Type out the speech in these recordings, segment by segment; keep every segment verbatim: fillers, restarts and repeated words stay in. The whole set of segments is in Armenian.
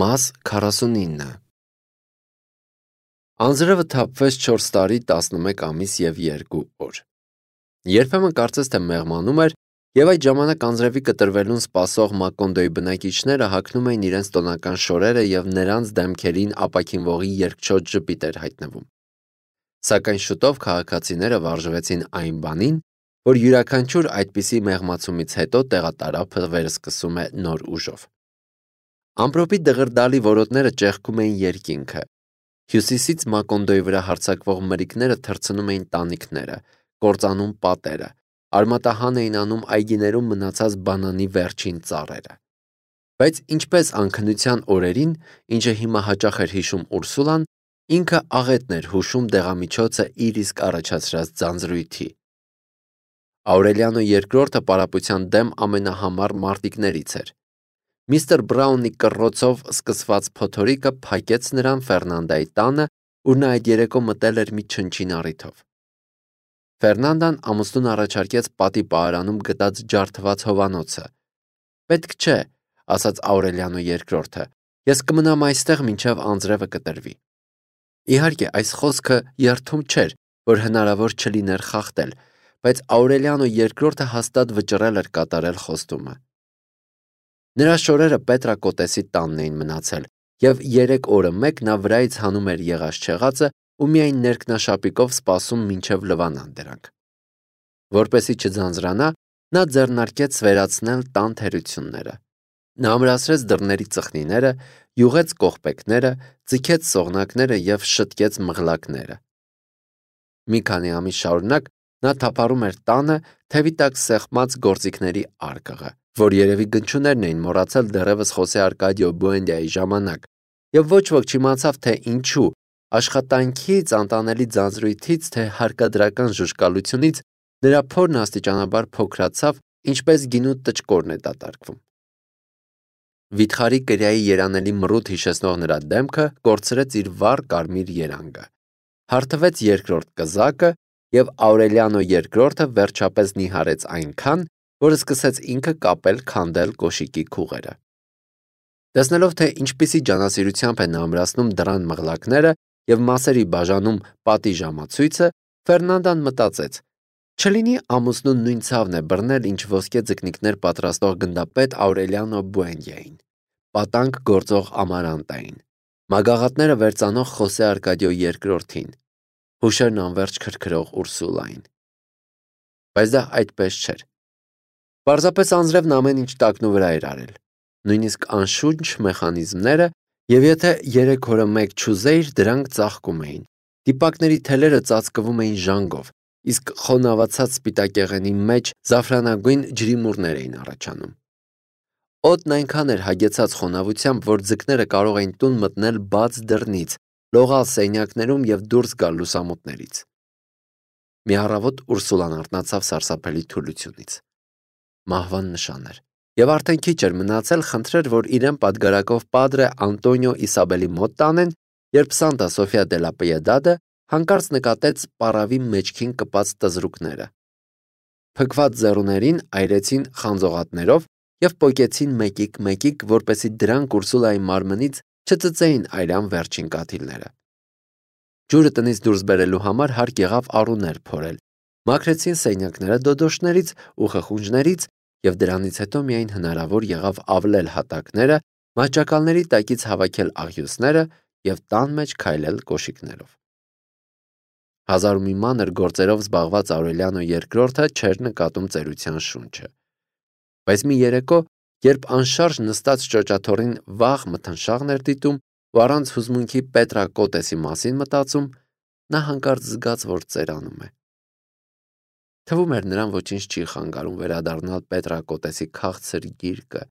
Մաս քառասունինը Անձրևը թափվեց չորս տարի, տասնմեկ ամիս և երկու օր։ Երբեմն կարծես թե մեղմանում էր, և այդ ժամանակ անձրևի կտրվելուն սպասող Մակոնդոյի բնակիչները հագնում էին իրենց տոնական շորերը և նրանց դեմքերին ապաքինվողի երկչոտ ժպիտ էր հայտնվում։ Սակայն շուտով քաղաքացիները վարժվեցին այն բանին, որ յուրաքանչյուր այդպիսի մեղմացումից հետո տեղատարափը վերսկսում է նոր ուժով։ Ամպրոպի դղրդալի որոտները ճեղքում էին երկինքը, հյուսիսից Մակոնդոյի վրա հարձակվող մրրիկները թռցնում էին տանիքները, կործանում պատերը, արմատահան էին անում այգիներում մնացած բանանի վերջին ծառերը։ Բայց ինչպես անքնության օրերին, ինչը հիմա հաճախ էր հիշում Ուրսուլան, ինքը աղետն էր հուշում դեղամիջոցը իր իսկ առաջացրած ձանձրույթի։ Աուրելիանո երկրորդը պարապության դեմ ամենահամառ մարտիկներից էր։ Միստր Բրաունի կռոցով սկսված փոթորիկը փակեց նրան Ֆերնանդայի տանը, ուր նա այդ երեկո մտել էր մի չնչին առիթով։ Ֆերնանդան ամուսնուն առաջարկեց պատի պահարանում գտած ջարդված հովանոցը։ Պետք չէ, ասաց Աուրելիանո երկրորդը, ես կմնամ այստեղ մինչև անձրևը կտրվի։ Իհարկե, այս խոսքը երդում չէր, որ հնարավոր չլիներ խախտել, բայց Աուրելիանո երկրորդը հաստատ վճռել էր կատարել խոստումը։ Նրա շորերը Պետրակոտեսի տանն էին մնացել, և երեք օրը մեկ նա վրայից հանում էր եղած-չեղածը ու միայն ներքնաշապիկով սպասում մինչև լվանան դրանք։ Որպեսզի չձանձրանա, նա ձեռնարկեց վերացնել տան թերությունները։ Նա ամրացրեց դռների ծխնիները, յուղեց կողպեքները, ձգեց սողնակները և շտկեց մղլակները։ Մի քանի ամիս շարունակ նա թափառում էր տանը, թևի տակ սեղմած գործիքների արկղը, որ երևի գնչուներն էին մոռացել դեռևս Խոսե Արկադիո Բուենդիայի ժամանակ, և ոչ ոք չիմացավ, թե ինչու, աշխատանքից, անտանելի ձանձրույթից, թե հարկադրական ժուժկալությունից նրա փորն աստիճանաբար փոքրացավ, ինչպես գինու տճկորն է դատարկվում։ Վիթխարի կրիայի երանելի մռութ հիշեցնող նրա դեմքը կորցրեց իր վառ կարմիր երանգը։ Հարթվեց երկրորդ կզակը, և Աուրելիանո երկրորդը վերջապես նիհարեց այնքան, որ սկսեց ինքը կապել քանդել կոշիկի քուղերը։ Տեսնելով, թե ինչպիսի ջանասիրությամբ է նա ամրացնում դռան մղլակները և մասերի բաժանում պատի ժամացույցը, Ֆերնանդան մտածեց. չլինի ամուսնուն նույն ցավն է բռնել, ինչ ոսկե ձկնիկներ պատրաստող գնդապետ Աուրելիանո Բուենդիային, պատանկ գործող Ամարանտային, մագաղատները վերծանող Խոսե Արկադիո երկրորդին, հուշերն անվերջ քրքրող Ուրսուլային։ Բայց դա այդպես չէր։ Պարզապես անձրևն ամեն ինչ տակնու վրա էր արել, նույնիսկ անշունչ մեխանիզմները, և եթե երեք օրը մեկ չուզեիր, դրանք ծաղկում էին, դիպակների թելերը ծածկվում էին ժանգով, իսկ խոնավացած սպիտակեղենի մեջ զաֆրանագույն ջրիմուռներ էին առաջանում։ Օդն այնքան էր հագեցած խոնավությամբ, որ ձկները կարող էին տուն մտնել բաց դռնից, լողալ սենյակներում և դուրս գալ լուսամուտներից։ Մի առավոտ Ուրսուլան արթնացավ սարսափելի թուլությունից։ Մահվան նշան էր, և արդեն քիչ էր մնացել խնդրեր, որ իրեն պատգարակով Պադրե Անտոնիո Իսաբելի մոտ տանեն, երբ Սանտա Սոֆիա դե լա Պիեդադը հանկարծ նկատեց պառավի մեջքին կպած տզրուկները։ Փքված ձեռուներին այրեցին խանձողատներով և պոկեցին մեկիկ-մեկիկ, որպեսզի դրանք Ուրսուլայի մարմնից չծծեին այրան վերջին կաթիլները։ Ջուրը տնից դուրս բերելու համար հարկ եղավ առուներ փորել, մաքրեցին սենյակները դոդոշներից ու խխունջներից, և դրանից հետո միայն հնարավոր եղավ ավլել հատակները, մահճակալների տակից հավաքել աղյուսները և տան մեջ քայլել կոշիկներով։ Հազար ու մի մանր գործերով զբաղված Աուրելիանո երկրորդը չէր նկատում ծերության շունչը։ Բայց մի երեկո, երբ անշարժ նստած ճոճաթոռին վաղ մթնշաղն էր դիտում ու առանց հուզմունքի Պետրակոտեսի մասին մտածում, նա հանկարծ զգաց, որ ծերանում է։ Թվում էր նրան ոչինչ չի խանգարում վերադառնալ Պետրակոտեսի քաղցր գիրկը,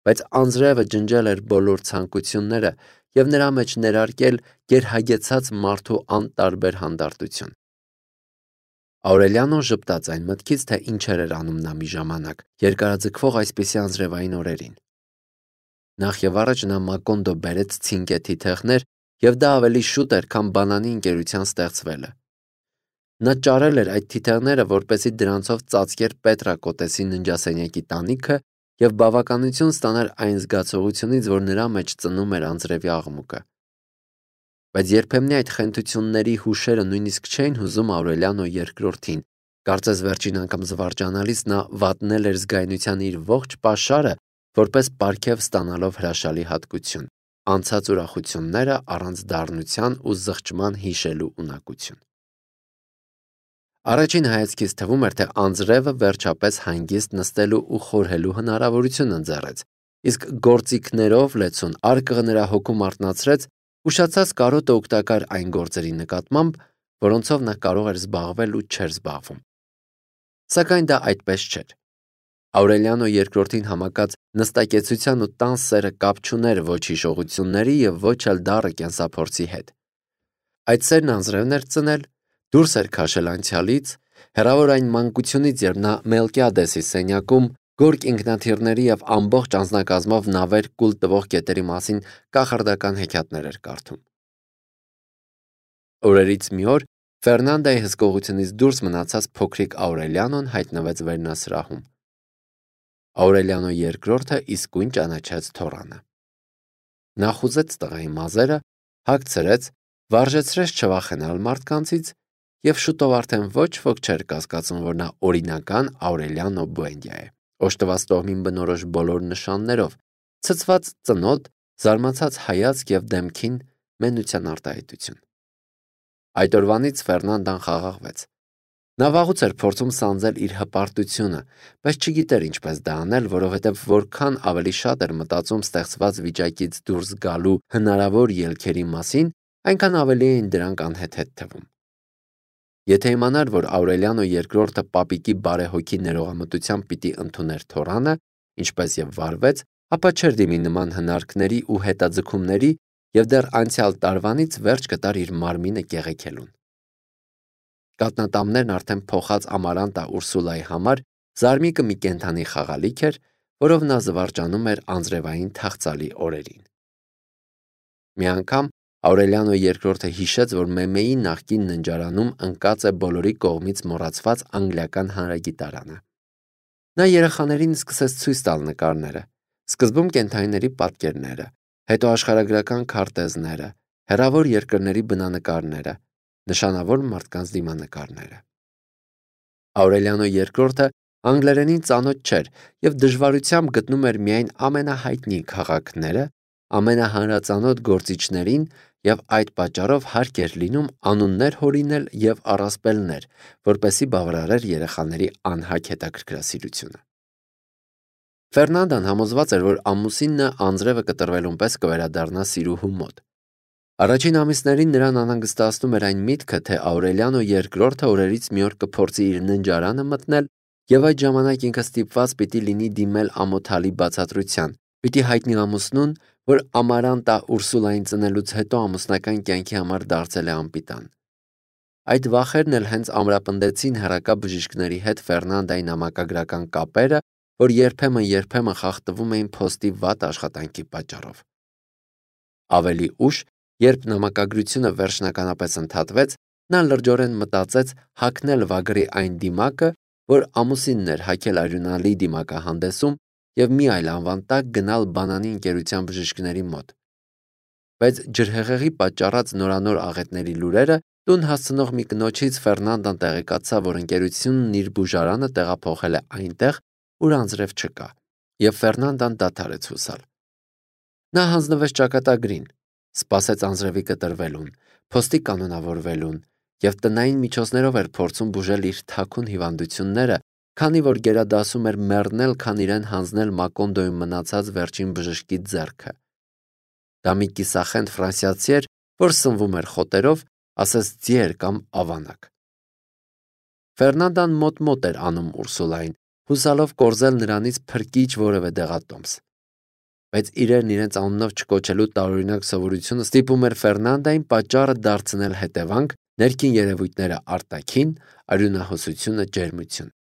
բայց անձրևը ջնջել էր բոլոր ցանկությունները և նրա մեջ ներարկել գերհագեցած մարդու անտարբեր հանդարտություն։ Աուրելիանոն ժպտաց այն մտքից, թե ինչեր էր անում նա մի ժամանակ, երկարաձգվող այսպիսի անձրևային օրերին։ Նախ և առաջ նա Մակոնդո բերեց ցինկե թիթեղներ, և դա ավելի շուտ էր, քան բանանի ընկերության ստեղծվելը։ Նա ճարել էր այդ թիթեղները, որպեսզի դրանցով ծածկեր Պետրակոտեսի ննջասենյակի տանիքը և բավականություն ստանար այն զգացողությունից, որ նրա մեջ ծնում էր անձրևի աղմուկը։ Բայց երբեմն այդ խենթությունների հուշերը նույնիսկ չէին հուզում Աուրելիանո երկրորդին, կարծես վերջին անգամ զվարճանալիս նա վատնել էր զգայունության իր ողջ պաշարը, որպես պարգև ստանալով հրաշալի հատկություն, անցած ուրախությունները առանց դառնության ու զղջման հիշելու ունակություն։ Առաջին հայացքից թվում էր, թե անձրևը վերջապես հանգիստ նստելու ու խորհելու հնարավորություն ընձեռեց, իսկ գործիքներով լեցուն արկղը նրա հոգում արթնացրեց, ուշացած կարոտը օգտակար այն գործերի նկատմամբ, որոնցով նա կարող էր զբաղվել ու չէր զբաղվում։ Սակայն դա այդպես չէր։ Աուրելիանո երկրորդին համակած նստակեցության ու տան սերը կապ չուներ ոչ հիշողությունների և ոչ էլ դառը կենսափորձի հետ։ Այդ սերն անձրևն էր ծնել, դուրս էր քաշել անցյալից, հեռավոր այն մանկությունից, երբ նա Մելկիադեսի սենյակում գորգ ինքնաթիռների և ամբողջ անձնակազմով նավեր կուլ տվող կետերի մասին կախարդական հեքիաթներ էր կարդում։ Օրերից մի օր Ֆերնանդայի հսկողությունից դուրս մնացած փոքրիկ Աուրելիանոն հայտնվեց վերնասրահում։ Աուրելիանո երկրորդը իսկույն ճանաչեց թոռանը։ Նա խուզեց տղայի մազերը, հագցրեց, վարժեցրեց չվախենալ մարդկանցից և շուտով արդեն ոչ ոք չէր կասկածում, որ նա օրինական Աուրելիանո Բուենդիա է, օժտված տոհմին բնորոշ բոլոր նշաններով, ցցված ծնոտ, զարմացած հայացք և դեմքին մենության արտահայտություն։ Այդ օրվանից Ֆերնանդան խաղաղվեց։ Նա վաղուց էր փորձում սանձել իր հպարտությունը, բայց չգիտեր ինչպես դա անել, որովհետև որքան ավելի շատ էր մտածում ստեղծված վիճակից դուրս գալու հնարավոր ելքերի մասին, այնքան ավելի էին դրանք անհեթեթ թվում։ Եթե իմանար, որ Աուրելիանո երկրորդը պապիկի բարեհոգի ներողամտությամբ պիտի ընդուներ թոռանը, ինչպես և վարվեց, ապա չէր դիմի նման հնարքների ու հետաձգումների և դեռ անցյալ տարվանից վերջ կտար իր մարմինը կեղեքելուն։ Կաթնատամներն արդեն փոխած Ամարանտա Ուրսուլայի համար զարմիկը մի կենդանի խաղալիք էր, որով նա զվարճանում էր անձրևային թախծալի օրերին։ Մի անգամ Աուրելիանո երկրորդը հիշեց, որ Մեմեի նախկին ննջարանում ընկած է բոլորի կողմից մոռացված անգլիական հանրագիտարանը։ Նա երեխաներին սկսեց ցույց տալ նկարները, սկզբում կենդանիների պատկերները, հետո աշխարհագրական քարտեզները, հեռավոր երկրների բնանկարները, նշանավոր մարդկանց դիմանկարները։ Աուրելիանո երկրորդը անգլերենին ծանոթ չէր և դժվարությամբ գտնում էր միայն ամենահայտնի քաղաքները, ամենահանրածանոթ գործիչներին և այդ պատճառով հարկ էր լինում անուններ հորինել և առասպելներ, որպեսզի բավարարեր երեխաների անհագ հետաքրքրասիրությունը։ Ֆերնանդան համոզված էր, որ ամուսինը անձրևը կտրվելուն պես կվերադառնա սիրուհու մոտ։ Առաջին ամիսներին նրան անհանգստացնում էր այն միտքը, թե Աուրելիանո երկրորդը օրերից մի օր կփորձի իր ննջարանը մտնել և այդ ժամանակ ինքը ստիպված պիտի լինի դիմել ամոթալի բացատրության, պիտի հայտնի ամուսնուն, որ Ամարանտա Ուրսուլային ծնելուց հետո ամուսնական կյանքի համար դարձել է անպիտան։ Այդ վախերն էլ հենց ամրապնդեցին հեռակա բժիշկների հետ Ֆերնանդայի նամակագրական կապերը, որ երբեմն-երբեմն խախտվում էին փոստի վատ աշխատանքի պատճառով։ Ավելի ուշ, երբ նամակագրությունը վերջնականապես ընդհատվեց, նա լրջորեն մտածեց հագնել վագրի այն դիմակը, որ ամուսինն էր հագել արյունալի դիմակահանդեսում և մի այլ անվան տակ գնալ բանանի ընկերության բժիշկների մոտ։ Բայց ջրհեղեղի պատճառած նորանոր աղետների լուրերը տուն հասցնող մի կնոջից Ֆերնանդան տեղեկացավ, որ ընկերությունն իր բուժարանը տեղափոխել է այնտեղ, ուր անձրև չկա, և Ֆերնանդան դադարեց հուսալ։ Նա հանձնվեց ճակատագրին, սպասեց անձրևի կտրվելուն, փոստի կանոնավորվելուն և տնային միջոցներով էր փորձում բուժել իր թաքուն հիվանդությունները, քանի որ գերադասում էր մեռնել, քան իրեն հանձնել Մակոնդոյում մնացած վերջին բժշկի ձեռքը։ Դա մի կիսախենթ ֆրանսիացի էր, որ սնվում էր խոտերով, ասես ձիեր կամ ավանակ։ Ֆերնանդան մոտ-մոտ էր անում Ուրսուլային, հուսալով կորզել նրանից փրկիչ որևէ դեղատոմս։ Բայց իրերն իրենց անունով չկոչելու տարօրինակ սովորությունը ստիպում էր Ֆերնանդային պատճառը դարձնել հետևանք, ներքին երևույթները արտաքին, արյունահոսությունը ջերմություն։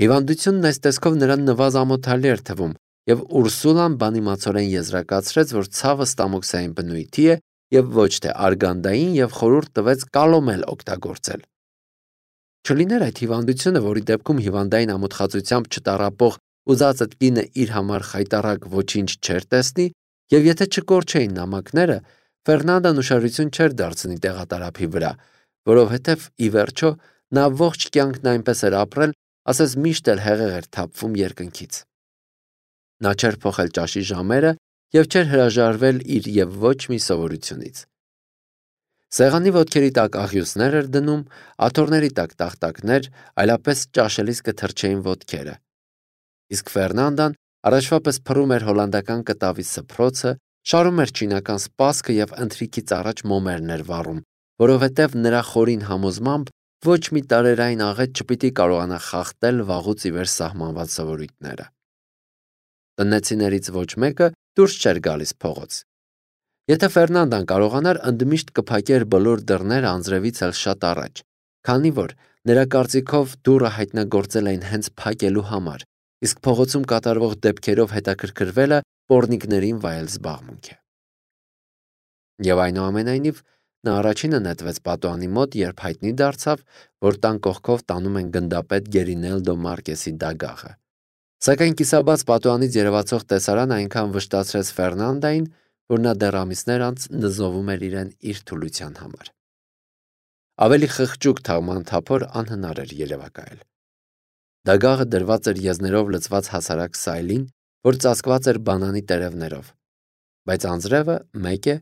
Հիվանդությունն այս տեսքով նրան նվազամոթալի էր թվում, և Ուրսուլան բանիմացորեն եզրակացրեց, որ ցավը ստամոքսային բնույթի է և ոչ թե արգանդային և խորհուրդ տվեց կալոմել օգտագործել։ Չլիներ այդ հիվանդությունը, որի դեպքում հիվանդային ամոթխածությամբ չտառապող ուզածդ կինը իր համար խայտառակ ոչինչ չէր տեսնի, եւ եթե չկորչեին նամակները, Ֆերնանդան ուշադրություն չէր դարձնի տեղատարափի վրա, որովհետև ի վերջո նա ողջ կյանքն այնպես էր ապրել, ասես միշտ էլ հեղեղ էր թափվում երկնքից։ Նա չէր փոխել ճաշի ժամերը եւ չէր հրաժարվել իր եւ ոչ մի սովորությունից։ Սեղանի ոտքերի տակ աղյուսներ էր դնում, աթոռների տակ տախտակներ, այլապես ճաշելիս կթրջեին ոտքերը։ Իսկ Ֆերնանդան առաջվա պես փռում էր հոլանդական կտավի սփռոցը, շարում էր չինական սպասքը եւ ընթրիքից առաջ մոմերն էր վառում, որովհետեւ նրա խորին համոզմամբ ոչ մի տարերային աղետ չպիտի կարողանա խախտել վաղուց ի վեր սահմանված սովորույթները։ Տնեցիներից ոչ մեկը դուրս չէր գալիս փողոց։ Եթե Ֆերնանդան կարողանար, ընդմիշտ կփակեր բոլոր դռները անձրևից էլ շատ առաջ, քանի որ նրա կարծիքով դուռը հայտնագործել էին հենց փակելու համար, իսկ փողոցում կատարվող դեպքերով հետաքրքրվելը պոռնիկներին վայել զբաղմունք է։ Եվ այնուամենայնիվ նա առաջինը նետվեց պատուհանի մոտ, երբ հայտնի դարձավ, որ տան կողքով տանում են գնդապետ Գերինելդո Մարկեսի դագաղը։ Սակայն կիսաբաց պատուհանից երևացող տեսարանը այնքան վշտացրեց Ֆերնանդային, որ նա դեռ ամիսներ անց նզովում էր իրեն իր թուլության համար։ Ավելի խղճուկ թաղմանթափոր անհնար էր երևակայել։ Դագաղը դրված էր եզներով լցված հասարակ սայլին, որ ծածկված էր բանանի տերևներով, բայց անձրևը մեկ է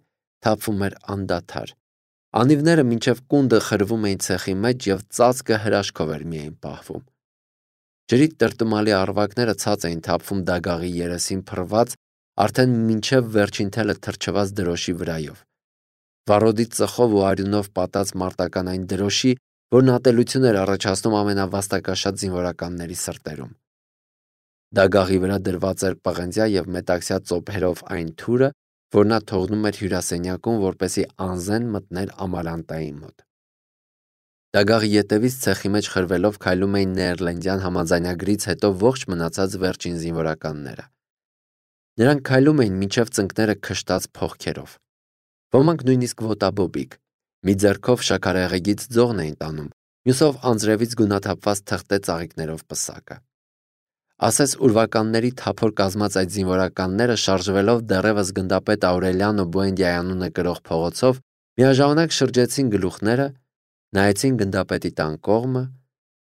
թափվում էր անդադար։ Անիվները մինչև կունդը խրվում էին ցեխի մեջ եւ ծածկը հրաշքով էր միայն պահվում։ Ջրի տրտմալի առվակները ցած էին թափվում դագաղի երեսին փռված, արդեն մինչև վերջին թելը թրջված դրոշի վրայով։ Վառոդի ծխով ու արյունով պատած մարտական այն դրոշի, որն ատելություն էր առաջացնում ամենավաստակաշատ զինվորականների սրտերում։ Դագաղի վրա դրված էր պղնձյա եւ մետաքսյա ծոփերով այն թուրը, որ նա թողնում էր հյուրասենյակում, որպեսզի անզեն մտներ Ամալանտայի մոտ։ Դագաղի ետևից ցեխի մեջ խրվելով քայլում էին Նեերլենդյան համաձայնագրից հետո ողջ մնացած վերջին զինվորականները։ Նրանք քայլում էին մինչև ծնկները քշտած փողքերով։ Ոմանք նույնիսկ ոտաբոբիկ, մի ձեռքով շաքարեղեգից ձողն էին տանում, մյուսով անձրևից գունաթափված թղթե ծաղիկներով պսակը։ Ասես ուրվականների թափոր կազմած այդ զինվորականները շարժվելով դեռևս գնդապետ Աուրելիանո Բուենդիայի անունը կրող փողոցով միաժամանակ շրջեցին գլուխները, նայեցին գնդապետի տան կողմը,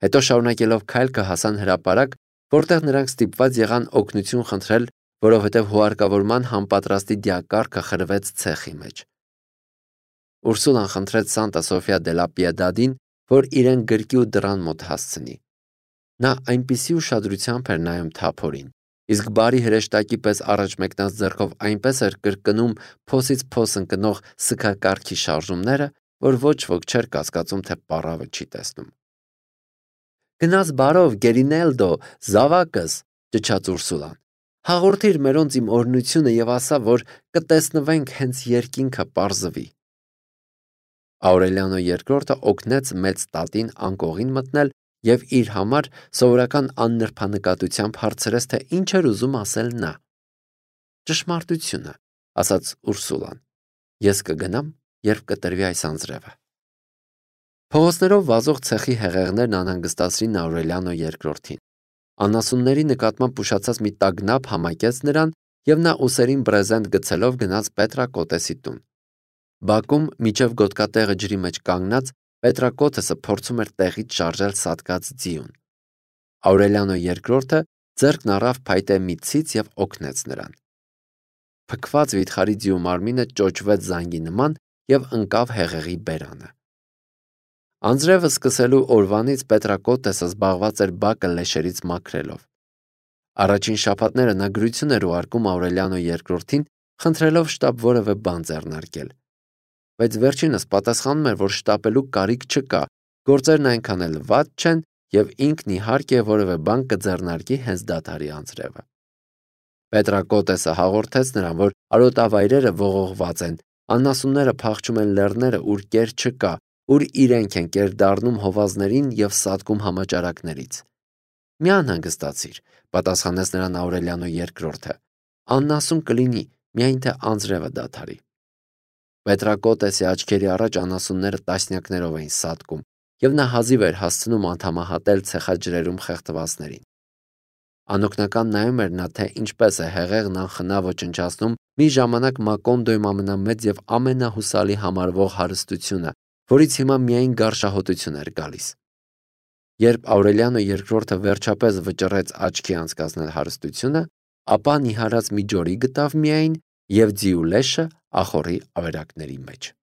հետո շարունակելով քայլքը հասան հրապարակ, որտեղ նրանք ստիպված եղան օգնություն խնդրել, որովհետև հուարկավորման համապատրաստի դիակառքը խրվեց ցեխի մեջ։ Ուրսուլան խնդրեց Սանտա Սոֆիա դե լա Պիեդադին, որ իրեն գրկի ու դռան մոտ հասցնի։ Նա այնպիսի ուշադրությամբ էր նայում թափորին, իսկ բարի հրեշտակի պես առաջ մեկնած ձեռքով այնպես էր կրկնում փոսից փոս ընկնող սգակառքի շարժումները, որ ոչ ոք չէր կասկածում, թե պառավը չի տեսնում։ Գնաս բարով, Գերինելդո, զավակս, ճչաց Ուրսուլան։ Հաղորդիր մերոնց իմ օրհնությունը եւ ասա, որ կտեսնվենք հենց երկինքը պարզվի։ Աուրելիանո երկրորդը օգնեց մեծ տատին անկողին մտնել եւ իր համար սովորական աննրբանկատությամբ հարցրեց, թե ինչ էր ուզում ասել նա։ Ճշմարտությունը, ասաց Ուրսուլան։ Ես կգնամ, երբ կտրվի այս անձրևը։ Փողոցներով վազող ցեխի հեղեղներն անհանգստացրին Աուրելիանո երկրորդին։ Անասունների նկատմամբ ուշացած մի տագնապ համակեց նրան եւ նա ուսերին բրեզենտ գցելով գնաց Պետրակոտեսի տուն։ Բակում միջև գոտկատեղը ջրի մեջ կանգնած Պետրակոտեսը փորձում էր տեղից շարժել սատկած ձիուն։ Աուրելիանո երկրորդը ձեռքն առավ փայտե մի ցից եւ օգնեց նրան։ Փքված վիթխարի ձիու մարմինը ճոճվեց զանգի նման եւ ընկավ հեղեղի բերանը։ Անձրևը սկսելու օրվանից Պետրակոտեսը զբաղված էր բակը լեշերից մաքրելով։ Առաջին շաբաթները նա գրություն էր ուղարկում Աուրելիանո երկրորդին, խնդրելով շտապ որևէ բան ձեռնարկել։ Բայց վերջինս պատասխանում էր, որ շտապելու կարիք չկա, գործերն այնքան էլ վատ չեն եւ ինքն իհարկե որևէ բան կձեռնարկի հենց դադարի անձրևը։ Պետրակոտեսը հաղորդեց նրան, որ արոտավայրերը ողողված են, անասունները փախչում են լեռները, ուր կեր չկա, ուր իրենք են կեր դառնում հովազներին եւ սատկում համաճարակներից։ Մի անհանգստացիր, պատասխանեց նրան Աուրելիանո երկրորդը։ Անասուն կլինի, միայն թե անձրևը դադարի։ Պետրակոտեսի աչքերի առաջ անասունները տասնյակներով էին սատկում, եւ նա հազիվ էր հասցնում անդամահատել ցեխաջրերում խեղդվածներին։ Անօգնական նայում էր նա, թե ինչպես է հեղեղն անխնա ոչնչացնում մի ժամանակ Մակոնդոյում ամենամեծ և ամենահուսալի համարվող հարստությունը, որից հիմա միայն գարշահոտություն էր գալիս։ Երբ Աուրելիանո երկրորդը վերջապես վճռեց աչքի անցկացնել հարստությունը, ապա նիհարած մի ջորի գտավ միայն և ձիու լեշը ախոռի ավերակների մեջ։